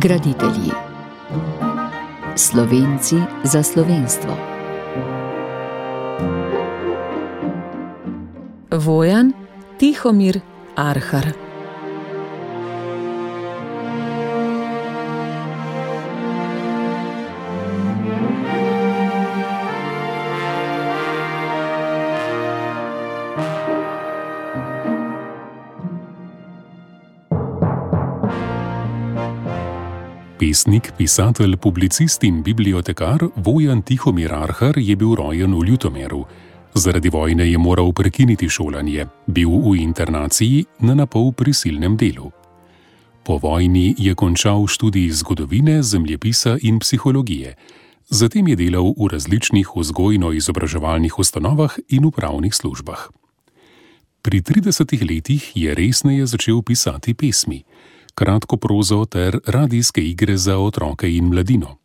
Graditelji. Slovenci za slovenstvo. Vojan Tihomir Arhar. Pesnik, pisatelj, publicist in bibliotekar Vojan Tihomir Arhar je bil rojen v Ljutomeru. Zaradi vojne je moral prekiniti šolanje, bil v internaciji na napol prisilnem delu. Po vojni je končal študij zgodovine, zemljepisa in psihologije. Zatem je delal v različnih vzgojno-izobraževalnih ustanovah in upravnih službah. Pri 30 letih je resneje začel pisati pesmi, kratko prozo ter radijske igre za otroke in mladino.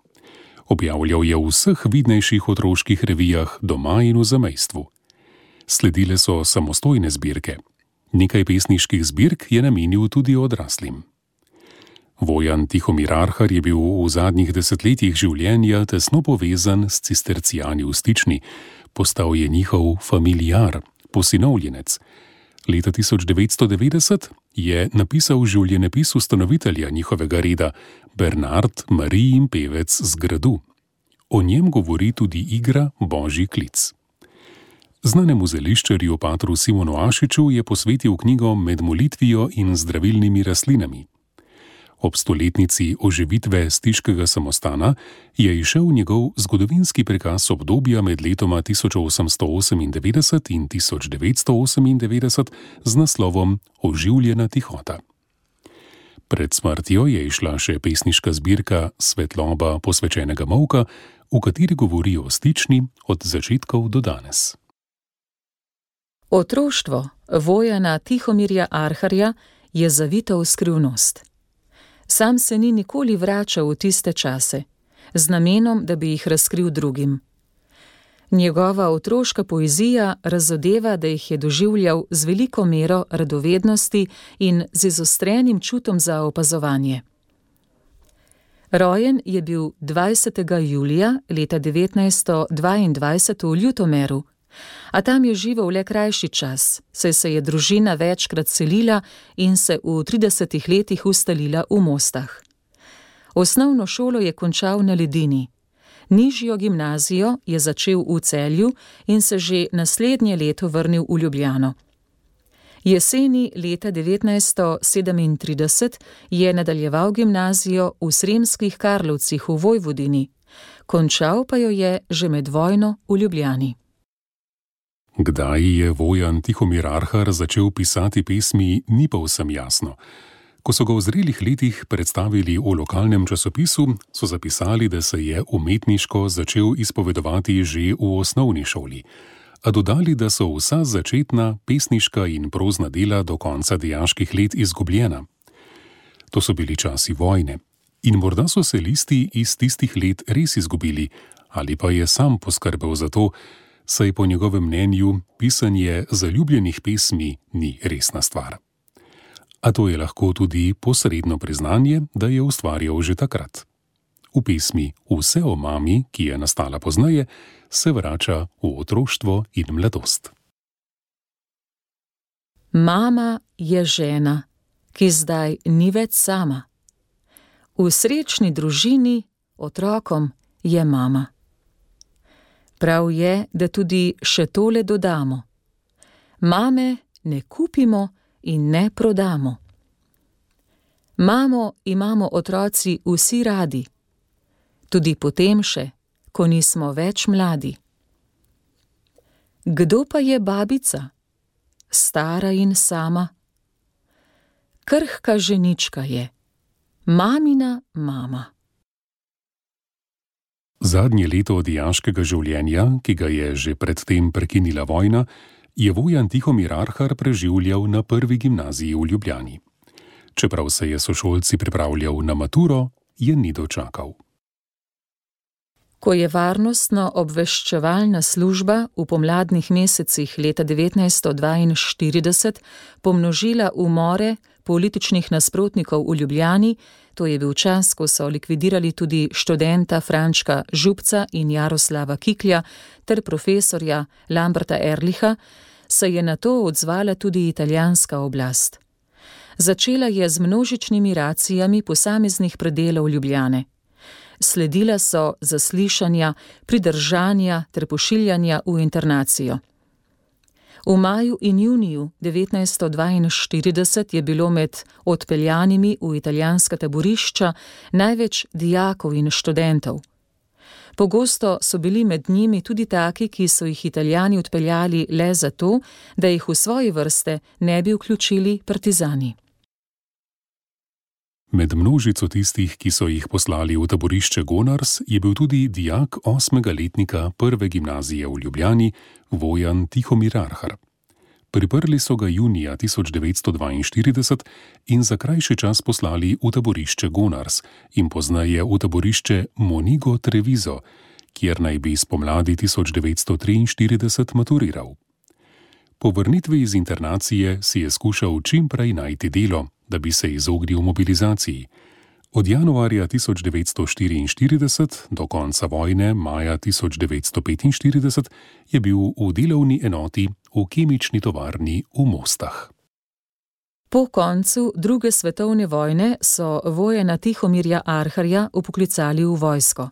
Objavljal je v vseh vidnejših otroških revijah doma in v zamejstvu. Sledile so samostojne zbirke. Nekaj pesniških zbirk je namenil tudi odraslim. Vojan Tihomir Arhar je bil v zadnjih desetletjih življenja tesno povezan s cistercijani v Stični. Postal je njihov familiar, posinovljenec. Leta 1990 je napisal življenjepis ustanovitelja njihovega reda, Bernard Marijin pevec z Gradu. O njem govori tudi igra Božji klic. Znanemu zeliščarju patru Simonu Ašiču je posvetil knjigo Med molitvijo in zdravilnimi rastlinami. Ob stoletnici oživitve stiškega samostana je izšel njegov zgodovinski prikaz obdobja med letoma 1898 in 1998 z naslovom Oživljena tihota. Pred smrtjo je izšla še pesniška zbirka Svetloba posvečenega molka, v kateri govori o Stični od začetkov do danes. Otroštvo Vojana Tihomirja Arharja je zavito v skrivnost. Sam se ni nikoli vračal v tiste čase, z namenom, da bi jih razkril drugim. Njegova otroška poezija razodeva, da jih je doživljal z veliko mero radovednosti in z izostrenim čutom za opazovanje. Rojen je bil 20. julija leta 1922 v Ljutomeru, a tam je živel le krajši čas, saj se je družina večkrat selila in se v 30 letih ustalila v Mostah. Osnovno šolo je končal na Ledini. Nižjo gimnazijo je začel v Celju in se že naslednje leto vrnil v Ljubljano. Jeseni leta 1937 je nadaljeval gimnazijo v Sremskih Karlovcih v Vojvodini, končal pa jo je že med vojno v Ljubljani. Kdaj je Vojan Tihomir Arhar začel pisati pesmi, ni povsem jasno. Ko so ga v zrelih letih predstavili v lokalnem časopisu, so zapisali, da se je umetniško začel izpovedovati že v osnovni šoli, a dodali, da so vsa začetna pesniška in prozna dela do konca dijaških let izgubljena. To so bili časi vojne in morda so se listi iz tistih let res izgubili, ali pa je sam poskrbel za to, saj po njegovem mnenju pisanje zaljubljenih pesmi ni resna stvar. A to je lahko tudi posredno priznanje, da je ustvarjal že takrat. V pesmi Vse o mami, ki je nastala pozneje, se vrača v otroštvo in mladost. Mama je žena, ki zdaj ni več sama. V srečni družini otrokom je mama. Prav je, da tudi še tole dodamo. Mame ne kupimo in ne prodamo. Mamo imamo otroci vsi radi, tudi potem še, ko nismo več mladi. Kdo pa je babica? Stara in sama. Krhka ženička je, mamina mama. Zadnje leto dijaškega življenja, ki ga je že predtem prekinila vojna, je Vojan Tihomir Arhar preživljal na prvi gimnaziji v Ljubljani. Čeprav se je sošolci pripravljal na maturo, je ni dočakal. Ko je varnostno-obveščevalna služba v pomladnih mesecih leta 1942 pomnožila umore, političnih nasprotnikov v Ljubljani, to je bil čas, ko so likvidirali tudi študenta Frančka Župca in Jaroslava Kiklja ter profesorja Lamberta Erlicha, se je na to odzvala tudi italijanska oblast. Začela je z množičnimi racijami posameznih predelov Ljubljane. Sledila so zaslišanja, pridržanja ter pošiljanja v internacijo. V maju in juniju 1942 je bilo med odpeljanimi v italijanska taborišča največ dijakov in študentov. Pogosto so bili med njimi tudi taki, ki so jih Italijani odpeljali le zato, da jih v svoje vrste ne bi vključili partizani. Med množico tistih, ki so jih poslali v taborišče Gonars, je bil tudi dijak 8. letnika prve gimnazije v Ljubljani, Vojan Tihomir Arhar. Priprli so ga junija 1942 in za krajši čas poslali v taborišče Gonars in pozneje v taborišče Monigo Treviso, kjer naj bi spomladi 1943 maturiral. Po vrnitvi iz internacije si je skušal čim prej najti delo, da bi se izognil mobilizaciji. Od januarja 1944 do konca vojne, maja 1945, je bil v delovni enoti v kemični tovarni v Mostah. Po koncu druge svetovne vojne so Vojana Tihomirja Arharja vpoklicali v vojsko.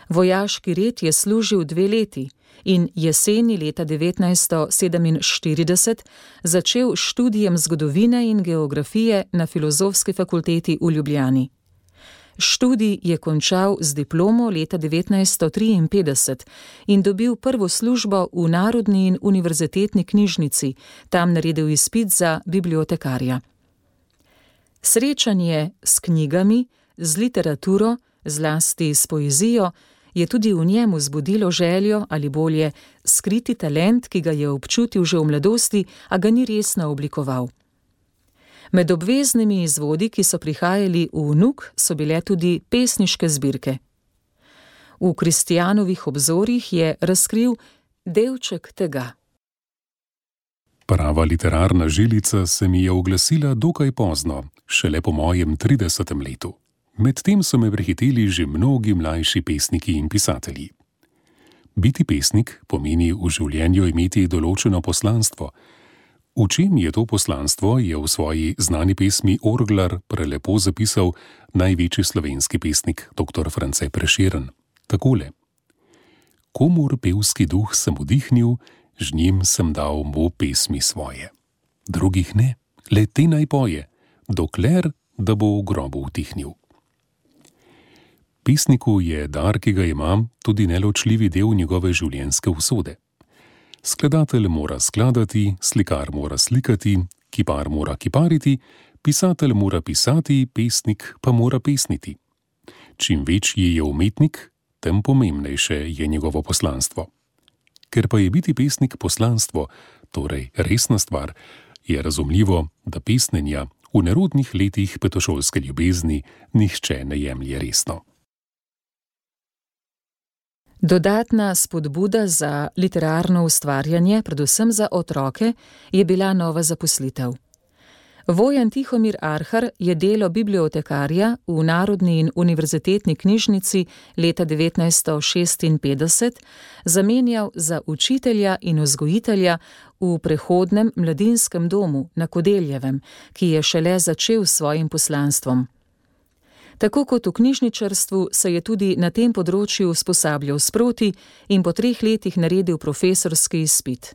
Vojaški red je služil 2 leti in jeseni leta 1947 začel študijem zgodovine in geografije na Filozofski fakulteti v Ljubljani. Študij je končal z diplomo leta 1953 in dobil prvo službo v Narodni in univerzitetni knjižnici, tam naredil izpit za bibliotekarja. Srečanje s knjigami, z literaturo, zlasti s poezijo, je tudi v njemu zbudilo željo ali bolje skriti talent, ki ga je občutil že v mladosti, a ga ni resno oblikoval. Med obveznimi izvodi, ki so prihajali v NUK, so bile tudi pesniške zbirke. V Kristijanovih obzorjih je razkril delček tega. Prava literarna žilica se mi je oglasila dokaj pozno, šele po mojem 30. letu. Medtem so me prehiteli že mnogi mlajši pesniki in pisatelji. Biti pesnik pomeni v življenju imeti določeno poslanstvo. V čem je to poslanstvo, je v svoji znani pesmi Orglar prelepo zapisal največji slovenski pesnik dr. France Prešeren. Takole: Komur pevski duh sem vdihnil, z njim sem dal mu pesmi svoje. Drugih ne, le te naj poje, dokler da bo v grobu utihnil. Pesniku je dar, ki ga ima, tudi neločljivi del njegove življenjske usode. Skladatelj mora skladati, slikar mora slikati, kipar mora kipariti, pisatelj mora pisati, pesnik pa mora pesniti. Čim večji je umetnik, tem pomembnejše je njegovo poslanstvo. Ker pa je biti pesnik poslanstvo, torej resna stvar, je razumljivo, da pesnenja v nerodnih letih petošolske ljubezni nihče ne jemlje resno. Dodatna spodbuda za literarno ustvarjanje, predvsem za otroke, je bila nova zaposlitev. Vojan Tihomir Arhar je delo bibliotekarja v Narodni in univerzitetni knjižnici leta 1956 zamenjal za učitelja in vzgojitelja v prehodnem mladinskem domu na Kodeljevem, ki je šele začel s svojim poslanstvom. Tako kot v knjižničarstvu se je tudi na tem področju usposabljal sproti in po 3 letih naredil profesorski izpit.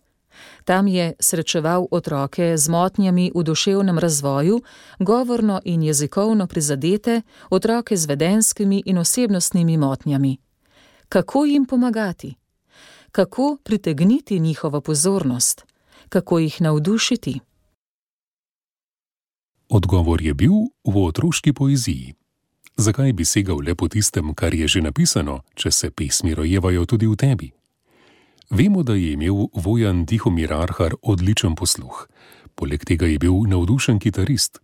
Tam je srečeval otroke z motnjami v duševnem razvoju, govorno in jezikovno prizadete, otroke z vedenjskimi in osebnostnimi motnjami. Kako jim pomagati? Kako pritegniti njihovo pozornost? Kako jih navdušiti? Odgovor je bil v otroški poeziji. Zakaj bi segal le po tistem, kar je že napisano, če se pesmi rojevajo tudi v tebi? Vemo, da je imel Vojan Tihomir Arhar odličen posluh. Poleg tega je bil navdušen kitarist.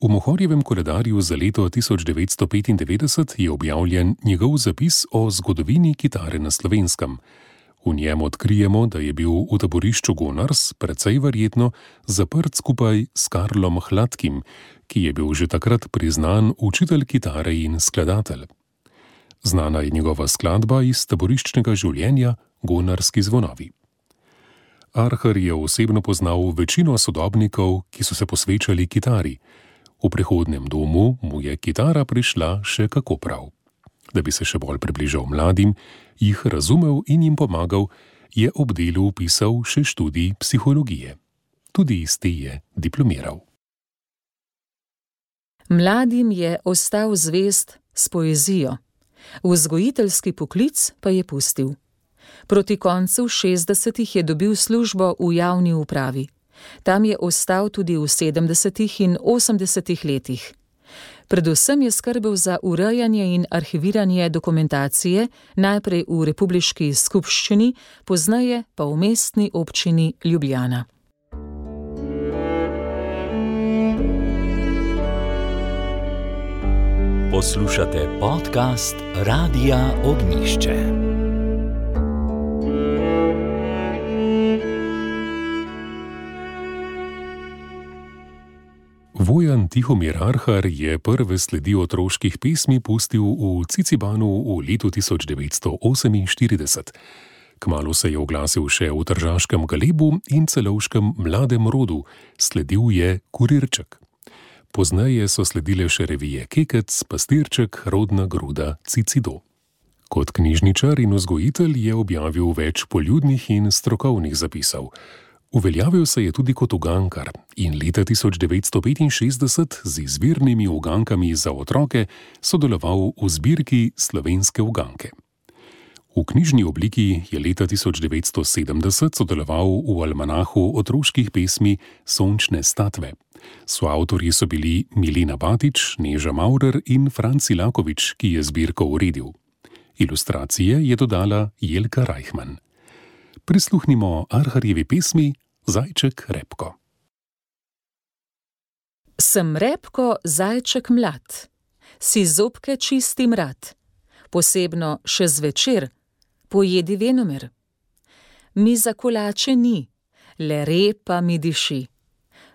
V Mohorjevem koledarju za leto 1995 je objavljen njegov zapis o zgodovini kitare na Slovenskem. V njem odkrijemo, da je bil v taborišču Gonars precej verjetno zaprt skupaj s Karlom Hladkim, ki je bil že takrat priznan učitelj kitare in skladatelj. Znana je njegova skladba iz taboriščnega življenja Gonarski zvonovi. Arhar je osebno poznal večino sodobnikov, ki so se posvečali kitari. V prehodnem domu mu je kitara prišla še kako prav. Da bi se še bolj približal mladim, jih razumel in jim pomagal, je ob delu vpisal še študij psihologije. Tudi iz te je diplomiral. Mladim je ostal zvest s poezijo, vzgojiteljski poklic pa je pustil. Proti koncu 60-ih je dobil službo v javni upravi. Tam je ostal tudi v 70. in 80. letih. Predvsem je skrbel za urejanje in arhiviranje dokumentacije, najprej v republiški skupščini, pozneje pa v mestni občini Ljubljana. Poslušate podcast Radia Ognjišče. Vojan Tihomir Arhar je prve sledi otroških pesmi pustil v Cicibanu v letu 1948. Kmalu se je oglasil še v tržaškem Galebu in celovškem Mladem rodu, sledil je Kurirček. Pozneje so sledile še revije Kekec, Pastirček, Rodna gruda, Cicido. Kot knjižničar in vzgojitelj je objavil več poljudnih in strokovnih zapisov. Uveljavil se je tudi kot ugankar in leta 1965 z izvirnimi ugankami za otroke sodeloval v zbirki Slovenske uganke. V knjižni obliki je leta 1970 sodeloval v almanahu otroških pesmi Sončne statve. Soavtorji so bili Milena Batič, Neža Maurer in Franci Lakovič, ki je zbirko uredil. Ilustracije je dodala Jelka Reichmann. Prisluhnimo Arharjevi pesmi Zajček Repko. Sem repko, zajček mlad, si zobke čistim rad, posebno še zvečer, pojedi venomer. Mi za kolače ni, le repa mi diši.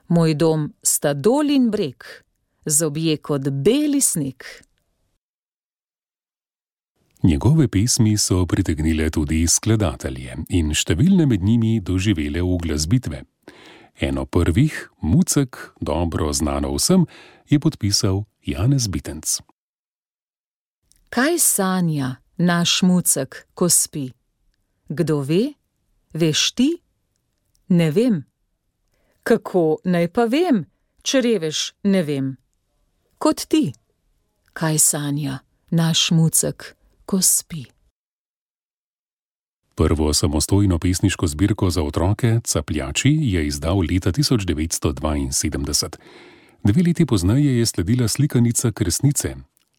Moj dom sta dol in breg, zobje kot beli sneg. Njegove pesmi so pritegnile tudi skladatelje in številne med njimi doživele uglasbitve. Eno prvih, Mucek, dobro znano vsem, je podpisal Janez Bitenc. Kaj sanja naš Mucek, ko spi? Kdo ve? Veš ti? Ne vem. Kako naj pa vem, če reveš ne vem? Kot ti. Kaj sanja naš Mucek, ko spi? Prvo samostojno pesniško zbirko za otroke, Capljači, je izdal leta 1972. 2 leti pozneje je sledila slikanica Kresnice.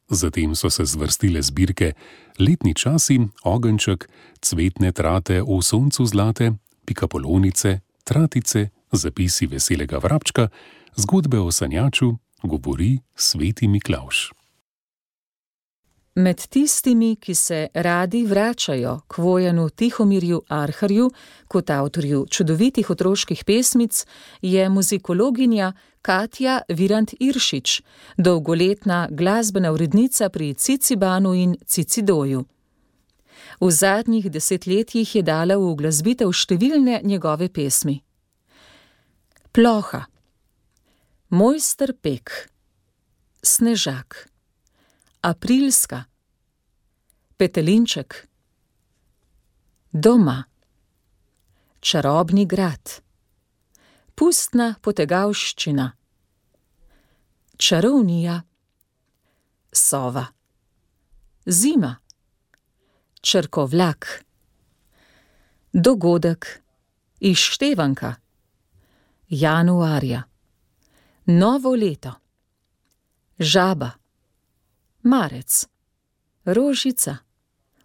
Zatem so se zvrstile zbirke Letni časi, Ogenček, Cvetne trate v soncu zlate, Pikapolonice, Tratice, Zapisi veselega vrabčka, Zgodbe o sanjaču, Govori sveti Miklavž. Med tistimi, ki se radi vračajo k Vojanu Tihomirju Arharju kot avtorju čudovitih otroških pesmic, je muzikologinja Katja Virant-Iršič, dolgoletna glasbena urednica pri Cicibanu in Cicidoju. V zadnjih 10 letih je dala v uglasbitev številne njegove pesmi. Ploha, Mojster Pek, Snežak, Aprilska, Petelinček, Doma, Čarobni grad, Pustna potegavščina, Čarovnija, Sova, Zima, Črkovlak, Dogodek, Izštevanka, Januarja, Novo leto, Žaba, Marec, Rožica,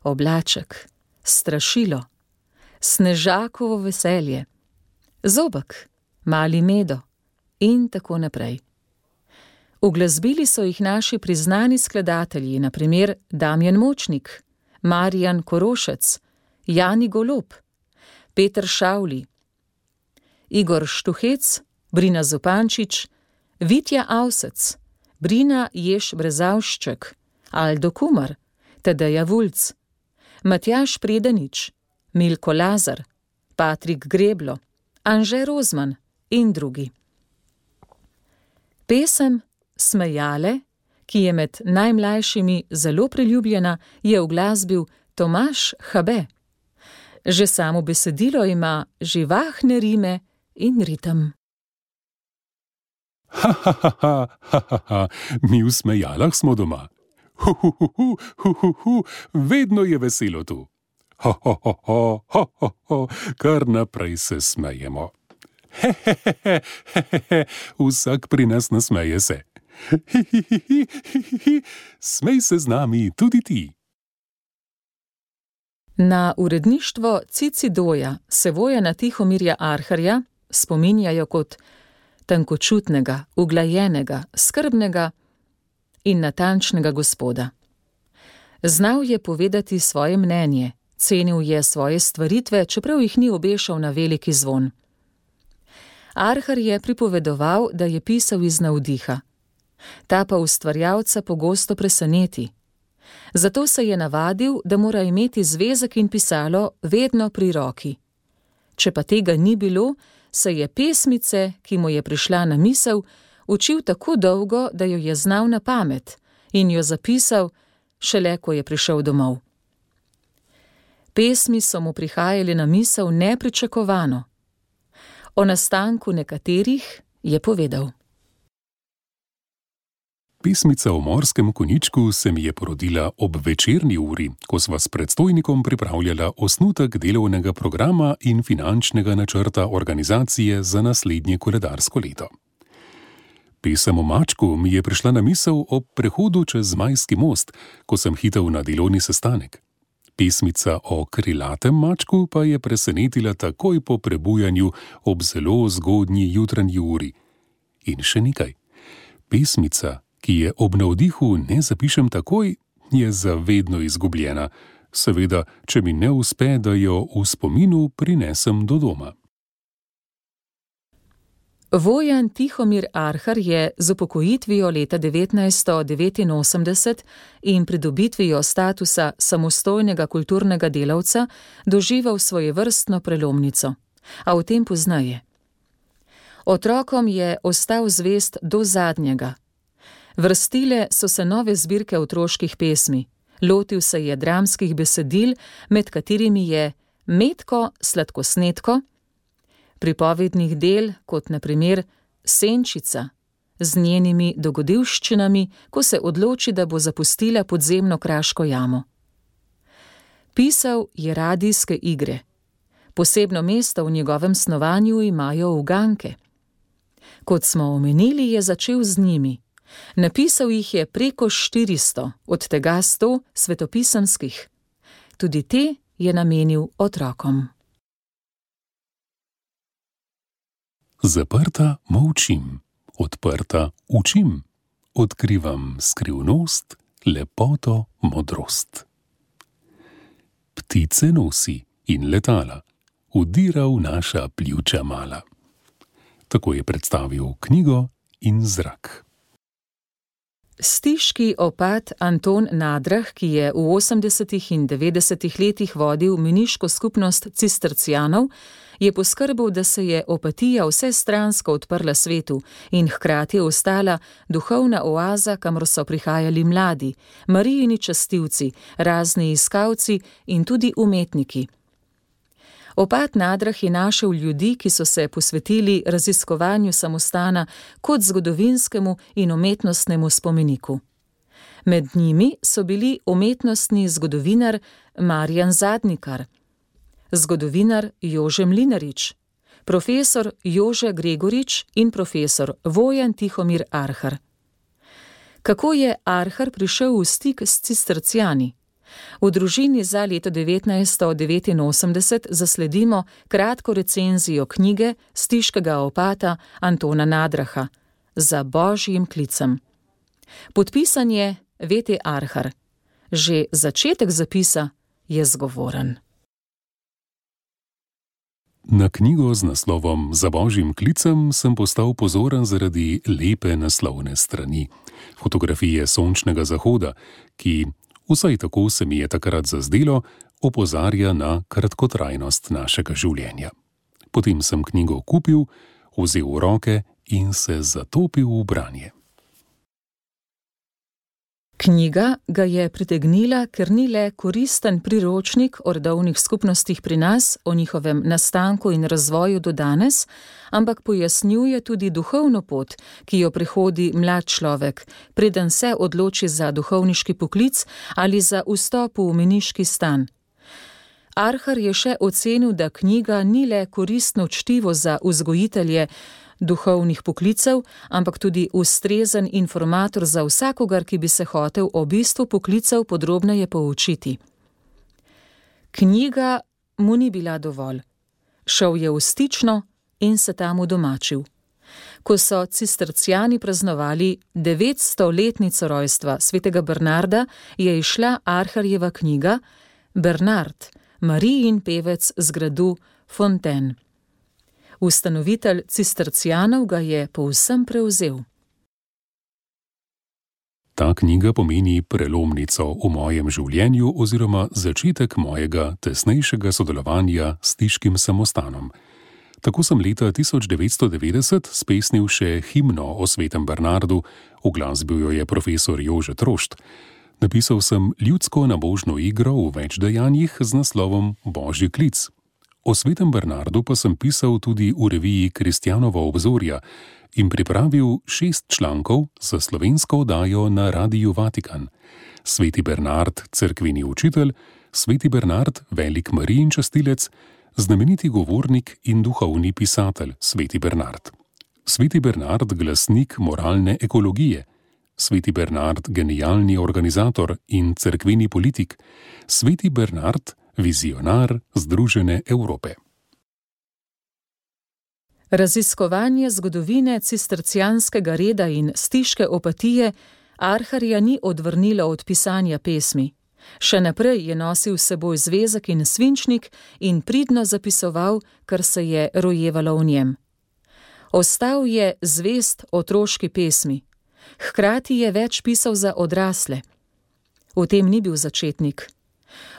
Oblaček, Strašilo, Snežakovo veselje, Zobek, Mali medo in tako naprej. Uglasbili so jih naši priznani skladatelji, na primer Damjan Močnik, Marijan Korošec, Jani Golob, Peter Šavli, Igor Štuhec, Brina Zupančič, Vitja Avsec, Brina Jež-Brezavšček, Aldo Kumar, Tadeja Vulc, Matjaž Predanič, Milko Lazar, Patrik Greblo, Anže Rozman in drugi. Pesem Smejale, ki je med najmlajšimi zelo priljubljena, je uglasbil Tomaž Habe. Že samo besedilo ima živahne rime in ritem. Ha, ha, ha, ha, ha, ha, ha. Mi v Smejalah smo doma. Hu, hu, hu, hu, hu, hu, hu. Vedno je veselo tu. Ho, ho, ho, ho, ho, ho, ho. Kar naprej se smejemo. He, he, he, he, he, he, he. Vsak pri nas nasmeje se. Hi, hi, hi, hi, hi, hi. Smej se z nami tudi ti. Na uredništvo Cicidoja se Vojana Tihomirja Arharja spominjajo kot tankočutnega, uglajenega, skrbnega in natančnega gospoda. Znal je povedati svoje mnenje, cenil je svoje stvaritve, čeprav jih ni obešal na veliki zvon. Arhar je pripovedoval, da je pisal iz navdiha. Ta pa ustvarjalca pogosto preseneti. Zato se je navadil, da mora imeti zvezek in pisalo vedno pri roki. Če pa tega ni bilo, se je pesmice, ki mu je prišla na misel, učil tako dolgo, da jo je znal na pamet in jo zapisal, šele ko je prišel domov. Pesmi so mu prihajale na misel nepričakovano. O nastanku nekaterih je povedal. Pesmica o morskem konjičku se mi je porodila ob večerni uri, ko sva s predstojnikom pripravljala osnutek delovnega programa in finančnega načrta organizacije za naslednje koledarsko leto. Pesem o mačku mi je prišla na misel ob prehodu čez Zmajski most, ko sem hitel na delovni sestanek. Pesmica o krilatem mačku pa je presenetila takoj po prebujanju ob zelo zgodnji jutranji uri. In še nekaj. Pesmica, ki je ob navdihu ne zapišem takoj, je zavedno izgubljena. Seveda, če mi ne uspe, da jo v spominu prinesem do doma. Vojan Tihomir Arhar je z upokojitvijo leta 1989 in pridobitvijo statusa samostojnega kulturnega delavca doživel svojevrstno prelomnico, a o tem poznaje. Otrokom je ostal zvest do zadnjega. Vrstile so se nove zbirke otroških pesmi, lotil se je dramskih besedil, med katerimi je Metko sladkosnedko, pripovednih del, kot na primer Senčica, z njenimi dogodivščinami, ko se odloči, da bo zapustila podzemno kraško jamo. Pisal je radijske igre. Posebno mesto v njegovem snovanju imajo uganke. Kot smo omenili, je začel z njimi. Napisal jih je preko 400, od tega 100 svetopisemskih. Tudi te je namenil otrokom. Zaprta molčim, odprta učim, odkrivam skrivnost, lepoto, modrost. Ptice nosi in letala, udira v naša pljuča mala. Tako je predstavil knjigo In zrak. Stiški opat Anton Nadrah, ki je v 80. in 90. letih vodil meniško skupnost cistercijanov, je poskrbel, da se je opatija vsestransko odprla svetu in hkrati ostala duhovna oaza, kamor so prihajali mladi, Marijini častilci, razni iskalci in tudi umetniki. Opat Nadrah je našel ljudi, ki so se posvetili raziskovanju samostana kot zgodovinskemu in umetnostnemu spomeniku. Med njimi so bili umetnostni zgodovinar Marjan Zadnikar, zgodovinar Jože Mlinarič, profesor Jože Gregorič in profesor Vojan Tihomir Arhar. Kako je Arhar prišel v stik s cistercijani? V družini za leto 1989 zasledimo kratko recenzijo knjige stiškega opata Antona Nadraha Za božjim klicem. Podpisan je V.T. Arhar. Že začetek zapisa je zgovoren. Na knjigo z naslovom Za božjim klicem sem postal pozoren zaradi lepe naslovne strani. Fotografije sončnega zahoda, ki, vsaj tako se mi je takrat zazdelo, opozarja na kratkotrajnost našega življenja. Potem sem knjigo kupil, vzel v roke in se zatopil v branje. Knjiga ga je pritegnila, ker ni le koristen priročnik o rodovnih skupnostih pri nas, o njihovem nastanku in razvoju do danes, ampak pojasnjuje tudi duhovno pot, ki jo prehodi mlad človek, preden se odloči za duhovniški poklic ali za vstop v meniški stan. Arhar je še ocenil, da knjiga ni le koristno čtivo za vzgojitelje duhovnih poklicev, ampak tudi ustrezen informator za vsakogar, ki bi se hotel o bistvu poklicev podrobneje poučiti. Knjiga mu ni bila dovolj. Šel je v Stično in se tam udomačil. Ko so cisterciani praznovali 900-letnico rojstva svetega Bernarda, je izšla Arharjeva knjiga Bernard, Marijin pevec z gradu Fontaine. Ustanovitelj cistercijanov ga je povsem prevzel. Ta knjiga pomeni prelomnico v mojem življenju oziroma začetek mojega tesnejšega sodelovanja s stiškim samostanom. Tako sem leta 1990 spesnil še himno o svetem Bernardu, uglasbil jo je profesor Jože Trošt. Napisal sem ljudsko nabožno igro v več dejanjih z naslovom Božji klic. O svetem Bernardu pa sem pisal tudi v reviji Kristjanova obzorja in pripravil 6 člankov za slovensko oddajo na Radiu Vatikan. Sveti Bernard, cerkveni učitelj, sveti Bernard, velik Marijin častilec, znameniti govornik in duhovni pisatelj, sveti Bernard. Sveti Bernard, glasnik moralne ekologije. Sveti Bernard, genialni organizator in cerkveni politik. Sveti Bernard, vizionar Združene Evrope. Raziskovanje zgodovine cistercijanskega reda in stiške opatije Arharja ni odvrnilo od pisanja pesmi. Še naprej je nosil s seboj zvezek in svinčnik in pridno zapisoval, kar se je rojevalo v njem. Ostal je zvest otroški pesmi. Hkrati je več pisal za odrasle. V tem ni bil začetnik.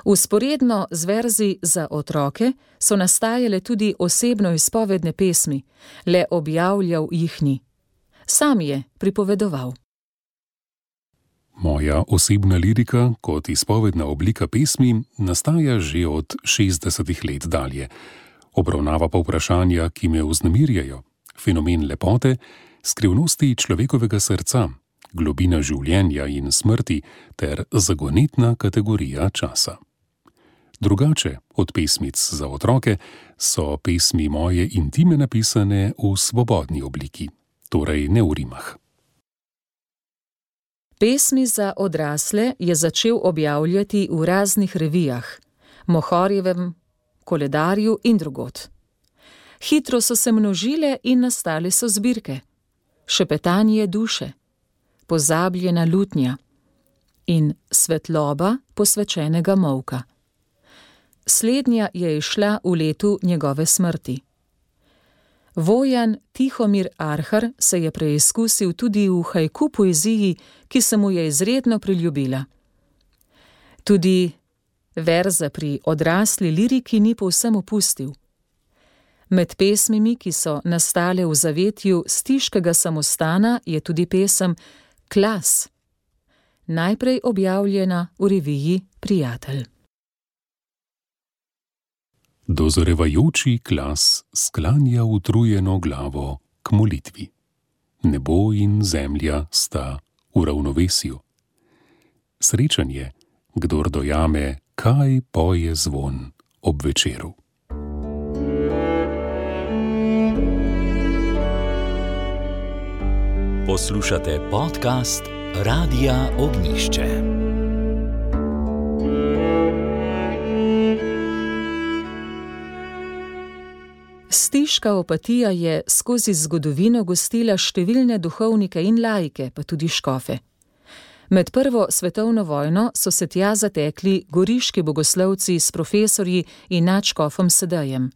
Vzporedno z verzi za otroke so nastajale tudi osebno izpovedne pesmi, le objavljal jih ni. Sam je pripovedoval. Moja osebna lirika kot izpovedna oblika pesmi nastaja že od 60 let dalje. Obravnava pa vprašanja, ki me vznemirjajo, fenomen lepote, skrivnosti človekovega srca, globina življenja in smrti ter zagonetna kategorija časa. Drugače od pesmic za otroke so pesmi moje intime napisane v svobodni obliki, torej ne v rimah. Pesmi za odrasle je začel objavljati v raznih revijah, Mohorjevem, Koledarju in drugod. Hitro so se množile in nastale so zbirke. Šepetanje duše, Pozabljena lutnja in Svetloba posvečenega molka. Slednja je izšla v letu njegove smrti. Vojan Tihomir Arhar se je preizkusil tudi v haiku poeziji, ki se mu je izredno priljubila. Tudi verze pri odrasli liriki ni povsem opustil. Med pesmimi, ki so nastale v zavetju stiškega samostana, je tudi pesem Klas, najprej objavljena v reviji Prijatelj. Dozorevajoči Klas sklanja utrujeno glavo k molitvi. Nebo in zemlja sta v ravnovesju. Srečen je, kdor dojame, kaj poje zvon ob večeru. Poslušate podcast Radia Ognišče. Stiška opatija je skozi zgodovino gostila številne duhovnike in laike, pa tudi škofe. Med prvo svetovno vojno so se tja zatekli goriški bogoslovci s profesorji in nadškofom Sedejem.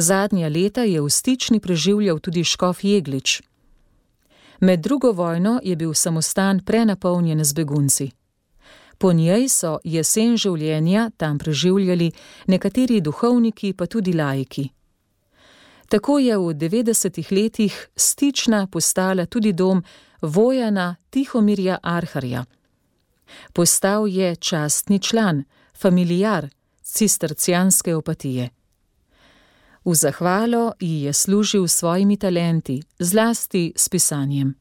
Zadnja leta je v Stični preživljal tudi škof Jeglič. Med drugo vojno je bil samostan prenapolnjen z begunci. Po njej so jesen življenja tam preživljali nekateri duhovniki, pa tudi laiki. Tako je v 90. letih Stična postala tudi dom Vojana Tihomirja Arharja. Postal je častni član, familiar cistercijanske opatije. V zahvalo ji je služil s svojimi talenti, zlasti s pisanjem.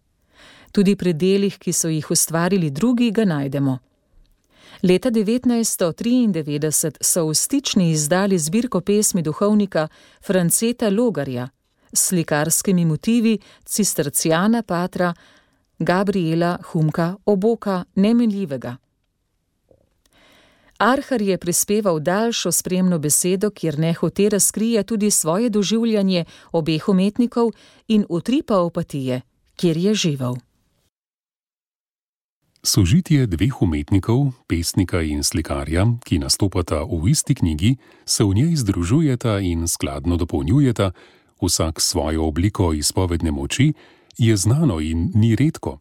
Tudi pri delih, ki so jih ustvarili drugi, ga najdemo. Leta 1993 so v Stični izdali zbirko pesmi duhovnika Franceta Logarja s slikarskimi motivi cistercijana patra Gabriela Humka Oboka Nemenljivega. Arhar je prispeval daljšo spremno besedo, kjer nehote razkrije tudi svoje doživljanje obeh umetnikov in utripa opatije, kjer je živel. Sožitje dveh umetnikov, pesnika in slikarja, ki nastopata v isti knjigi, se v njej združujeta in skladno dopolnjujeta, vsak svojo obliko izpovedne moči, je znano in ni redko.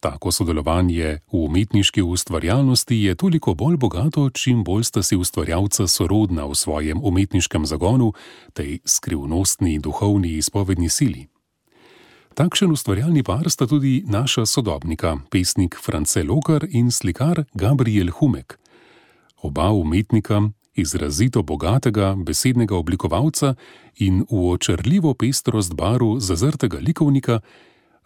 Tako sodelovanje v umetniški ustvarjalnosti je toliko bolj bogato, čim bolj sta si ustvarjalca sorodna v svojem umetniškem zagonu, tej skrivnostni duhovni izpovedni sili. Takšen ustvarjalni par sta tudi naša sodobnika, pesnik France Logar in slikar Gabriel Humek. Oba umetnika, izrazito bogatega besednega oblikovalca in v očarljivo pestrost barv zazrtega likovnika,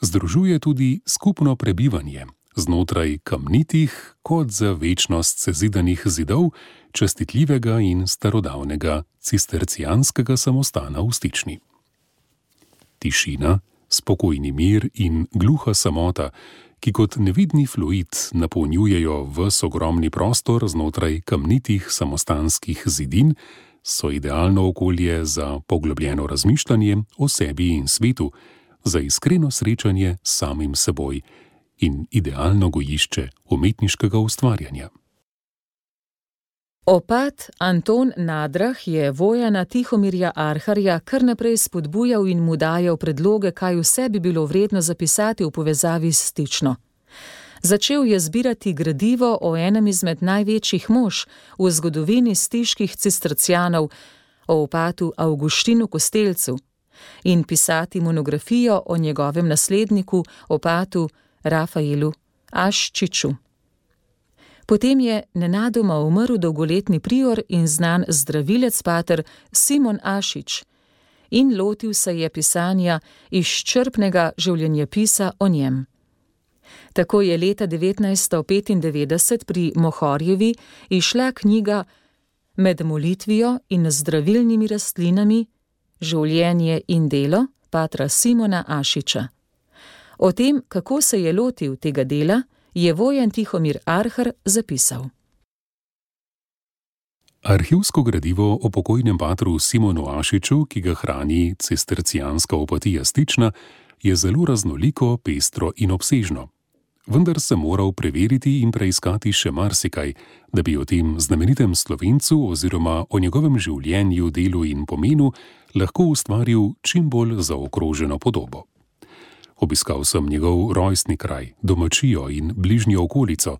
združuje tudi skupno prebivanje znotraj kamnitih kot za večnost sezidanih zidov častitljivega in starodavnega cistercijanskega samostana v Stični. Tišina, spokojni mir in gluha samota, ki kot nevidni fluid napolnjujejo ves ogromni prostor znotraj kamnitih samostanskih zidin, so idealno okolje za poglobljeno razmišljanje o sebi in svetu, za iskreno srečanje s samim seboj in idealno gojišče umetniškega ustvarjanja. Opat Anton Nadrah je Vojana Tihomirja Arharja kar naprej spodbujal in mu dajal predloge, kaj vse bi bilo vredno zapisati v povezavi s Stično. Začel je zbirati gradivo o enem izmed največjih mož v zgodovini stiških cistercijanov, o opatu Avguštinu Kostelcu, in pisati monografijo o njegovem nasledniku, opatu Rafaelu Aščiču. Potem je nenadoma umrl dolgoletni prior in znan zdravilec pater Simon Ašič in lotil se je pisanja izčrpnega življenjepisa o njem. Tako je leta 1995 pri Mohorjevi izšla knjiga Med molitvijo in zdravilnimi rastlinami, življenje in delo patra Simona Ašiča. O tem, kako se je lotil tega dela, je Vojan Tihomir Arhar zapisal. Arhivsko gradivo o pokojnem patru Simonu Ašiču, ki ga hrani cistercijanska opatija Stična, je zelo raznoliko, pestro in obsežno. Vendar sem moral preveriti in preiskati še marsikaj, da bi o tem znamenitem Slovencu oziroma o njegovem življenju, delu in pomenu lahko ustvaril čim bolj zaokroženo podobo. Obiskal sem njegov rojstni kraj, domačijo in bližnjo okolico,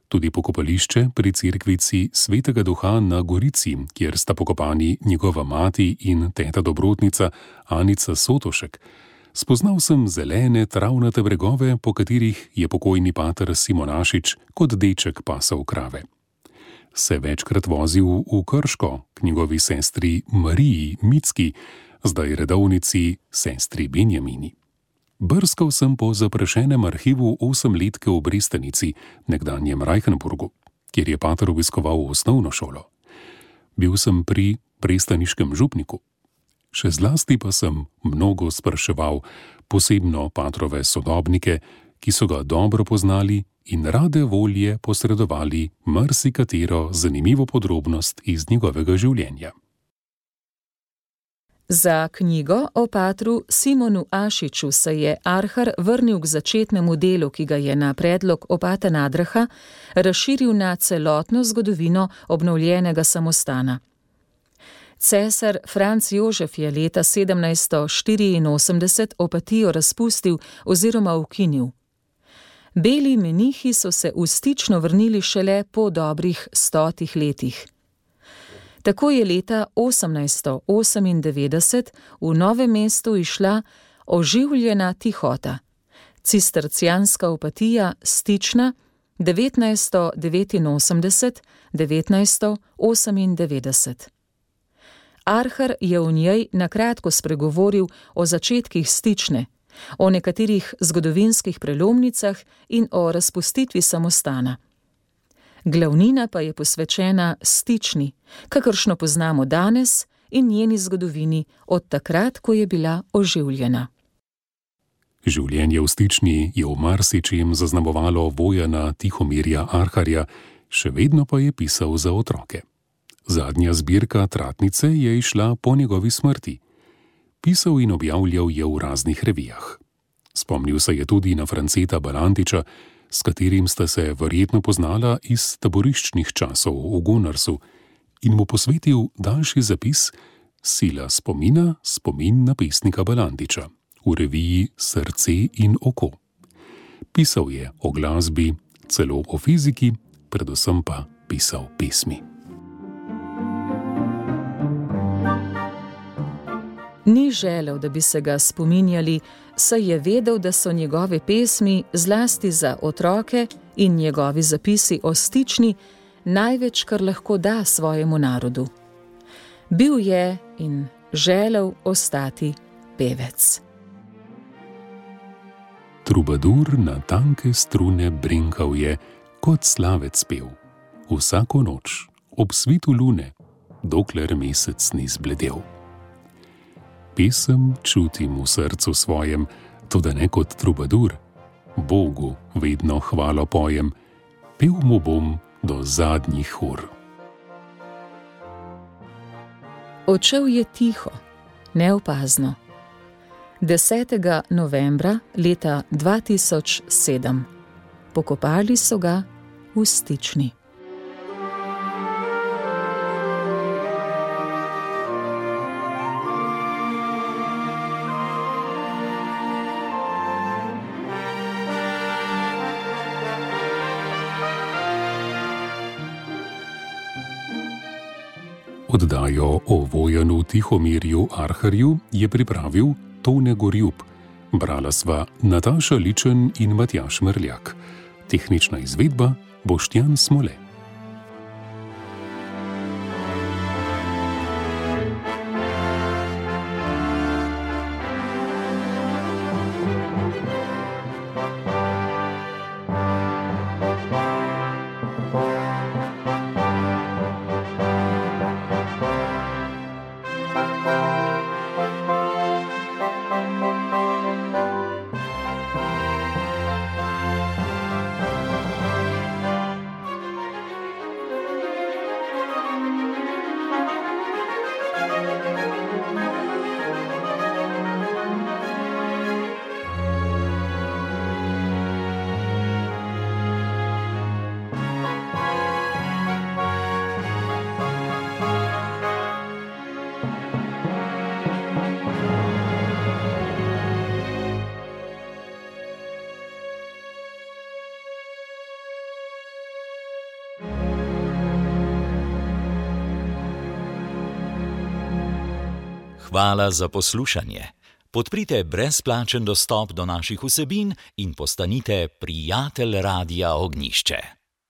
tudi pokopališče pri cerkvici Svetega Duha na Gorici, kjer sta pokopani njegova mati in teta dobrotnica Anica Sotošek. Spoznal sem zelene, travnate bregove, po katerih je pokojni pater Simon Ašič kot deček pasal krave. Se večkrat vozil v Krško k njegovi sestri Mariji Micki, zdaj redovnici sestri Benjamini. Brskal sem po zaprašenem arhivu 8-letke v Brestanici, nekdanjem Reichenburgu, kjer je pater obiskoval osnovno šolo. Bil sem pri prestaniškem župniku. Še zlasti pa sem mnogo spraševal, posebno patrove sodobnike, ki so ga dobro poznali in rade volje posredovali marsikatero zanimivo podrobnost iz njegovega življenja. Za knjigo o patru Simonu Ašiču se je Arhar vrnil k začetnemu delu, ki ga je na predlog opata Nadraha razširil na celotno zgodovino obnovljenega samostana. Cesar Franc Jožef je leta 1784 opatijo razpustil oziroma ukinil. Beli menihi so se v Stično vrnili šele po dobrih 100 letih. Tako je leta 1898 v Novem mestu išla oživljena tihota, cistercijanska opatija Stična 1989–1998. Arhar je v njej na kratko spregovoril o začetkih Stične, o nekaterih zgodovinskih prelomnicah in o razpustitvi samostana. Glavnina pa je posvečena Stični, kakršno poznamo danes, in njeni zgodovini od takrat, ko je bila oživljena. Življenje v Stični je v marsičem zaznamovalo Vojana Tihomirja Arharja, še vedno pa je pisal za otroke. Zadnja zbirka Tratnice je izšla po njegovi smrti. Pisal in objavljal je v raznih revijah. Spomnil se je tudi na Franceta Balantiča, s katerim sta se verjetno poznala iz taboriščnih časov v Gunarsu, in mu posvetil daljši zapis Sila spomina, spomin na pesnika Balantiča v reviji Srce in oko. Pisal je o glasbi, celo o fiziki, predvsem pa pisal pesmi. Ni želel, da bi se ga spominjali, saj je vedel, da so njegove pesmi, zlasti za otroke, in njegovi zapisi o Stični največ, kar lahko da svojemu narodu. Bil je in želel ostati pevec. Trubadur na tanke strune brinkal je, kot slavec pev, vsako noč, ob svitu lune, dokler mesec ni zbledel. Pesem čutim v srcu svojem, toda ne kot trubadur. Bogu vedno hvalo pojem, pel mu bom do zadnjih ur. Odšel je tiho, neopazno. 10. novembra leta 2007. Pokopali so ga v Stični. Oddajo o Vojanu Tihomirju Arharju je pripravil Tone Gorjup. Brala sva Nataša Ličen in Matjaž Mrljak. Tehnična izvedba Boštjan Smole. Hvala za poslušanje. Podprite brezplačen dostop do naših vsebin in postanite prijatelj Radia Ognjišče.